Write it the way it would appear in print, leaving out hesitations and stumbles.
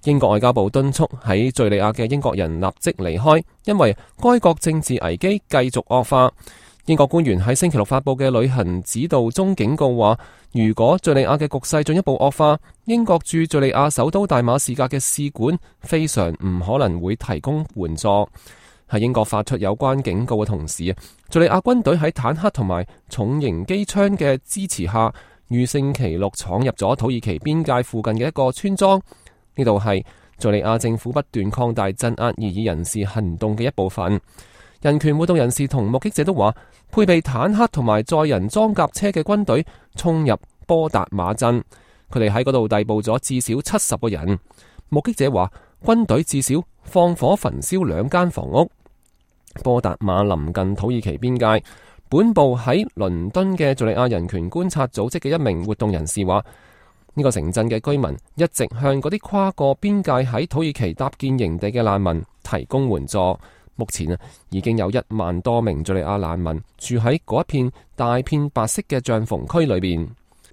英國外交部敦促喺敘利亞嘅英國人立即離開，因為該國政治危機繼續惡化。英國官員喺星期六發佈嘅旅行指導中警告話，如果敘利亞嘅局勢進一步惡化，英國駐敘利亞首都大馬士革嘅使館非常唔可能會提供援助。喺英國發出有關警告嘅同時，敘利亞軍隊喺坦克同埋重型機槍嘅支持下，於星期六闖入咗土耳其邊界附近嘅一個村莊。呢度係敘利亞政府不斷擴大鎮壓異議人士行動嘅一部分。人權活動人士同目擊者都話，配備坦克同埋載人裝甲車嘅軍隊衝入波達馬鎮，佢哋喺嗰度逮捕咗至少70個人。目擊者話，軍隊至少放火焚燒2間房屋。波達馬臨近土耳其邊界。本部喺倫敦嘅敘利亞人權觀察組織嘅一名活動人士話，呢個城鎮嘅居民一直向嗰啲跨過邊界喺土耳其搭建營地嘅難民提供援助。目前已經有1萬多名敘利亞難民住喺嗰一片大片白色嘅帳篷區裏邊。